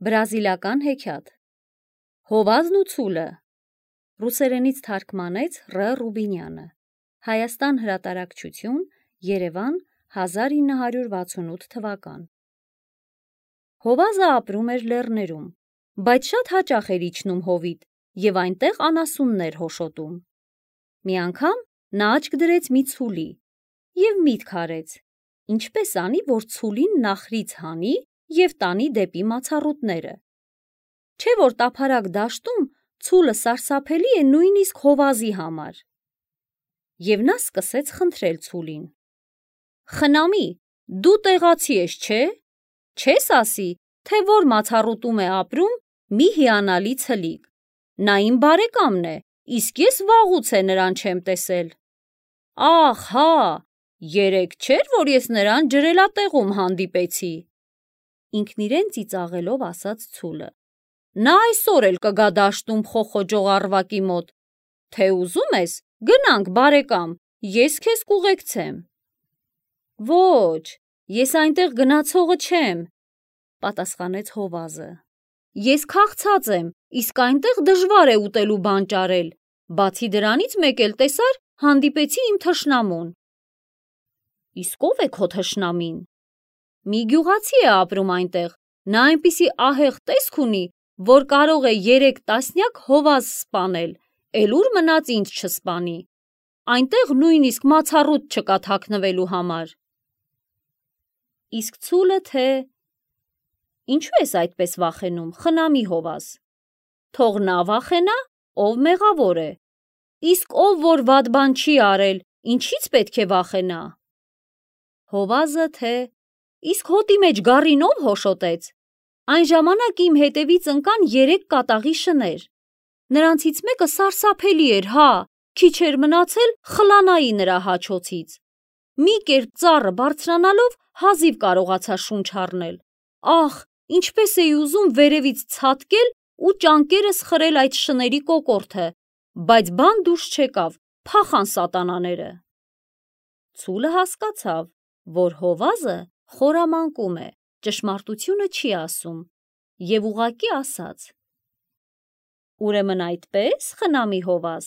Բրազիլական հեքիաթ Հովազն ու ցուլը Ռուսերենից թարգմանեց Ռ. Ռուբինյանը Հայաստան հրատարակչություն Երևան 1968 թվական Հովազը ապրում էր լեռներում, բայց շատ հաճախ էր իջնում հովիտ և այնտեղ անասուններ հոշոտում։ Մի անգամ նա աչք դրեց մի ցուլի և միտք արեց, ինչպես անի, որ ցուլին նախրից հանի և տանի դեպի մացառուտները։ Չէ՞ որ տափարակ դաշտում ցուլը սարսափելի է նույնիսկ հովազի համար։ Եվ նա սկսեց խնդրել ցուլին. «Խնամի, դու տեղացի ես, չէ՞։ Չես ասի, թե որ մացառուտում է ապրում մի հիանալի ցլիկ։ Նա իմ բարեկամն է, իսկ ես վաղուց է նրան չեմ տեսել»։ «Ախ, հա, երեկ չէր, որ ես նրան ջրելատեղում հանդիպեցի», ինքն իրեն ծիծաղելով ասաց ցուլը։ «Նա այսօր էլ կգա դաշտում խոխոջող առվակի մոտ, թե ուզում ես, գնանք, բարեկամ, ես քեզ կուղեկցեմ»։ «Ոչ, ես այնտեղ գնացողը չեմ», պատասխանեց հովազը։ «Ես քաղցած եմ, իսկ այնտեղ դժվար է ուտելու բան ճարել, բացի դրանից մեկ էլ տեսար, հանդիպեցի իմ թշնամուն»։ «Իսկ ո՞վ է քո թշնամին»։ «Մի գյուղացի է ապրում այնտեղ, նա այնպիսի ահեղ տեսք ունի, որ կարող է 3 տասնյակ հովազ սպանել, էլ ուր մնաց ինձ չսպանի։ Այնտեղ նույնիսկ մացառուտ չկա թաքնվելու համար»։ Իսկ ցուլը թե. «Ինչու ես այդպես վախենում, խնամի հովազ։ Թող նա վախենա, ով մեղավոր է, իսկ ով որ վատ բան չի արել, ինչի՞ց պետք է վախենա»։ Հովազը թե. «Իսկ հոտի մեջ գառին ով հոշոտեց։ Այն ժամանակ իմ հետևից ընկան 3 կատաղի շներ։ Նրանցից մեկը սարսափելի էր, հա, քիչ էր մնացել խլանայի նրա հաչոցից։ Մի կերպ ծառը բարձրանալով հազիվ կարողացա շունչ առնել։ Ախ, ինչպես էի ուզում վերևից ցատկել ու ճանկերս խրել այդ շների կոկորդը, բայց բան դուրս չեկավ, փախան սատանաները»։ Ցուլը հասկացավ, որ հովազը խորամանկում է, ճշմարտությունը չի ասում, և ուղղակի ասաց. «Ուրեմն այդպե՞ս, խնամի հովազ,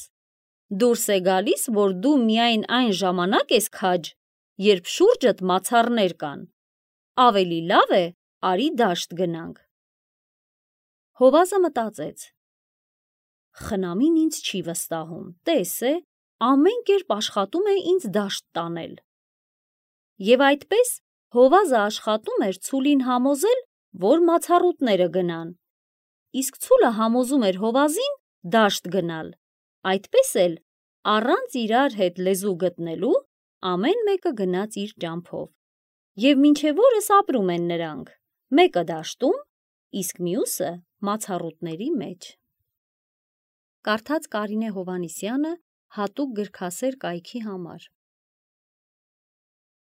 դուրս է գալիս, որ դու միայն այն ժամանակ ես քաջ, երբ շուրջդ մացառներ կան։ Ավելի լավ է, արի դաշտ գնանք»։ Հովազը մտածեց. «Խնամին ինձ չի վստահում, տես է, ամեն կերպ աշխատում է ինձ դաշտ տանել»։ Եվ այդպես հովազը աշխատում էր ցուլին համոզել, որ մացառուտները գնան, իսկ ցուլը համոզում էր հովազին դաշտ գնալ։ Այդպես էլ, առանց իրար հետ լեզու գտնելու, ամեն մեկը գնաց իր ճամփով, և մինչև օրս ապրում են նրանք, մեկը դաշտում, իսկ մյուսը մացառուտների մեջ։ Կարդաց Կարինե Հովհաննիսյանը հատուկ գրքասեր կայքի համար։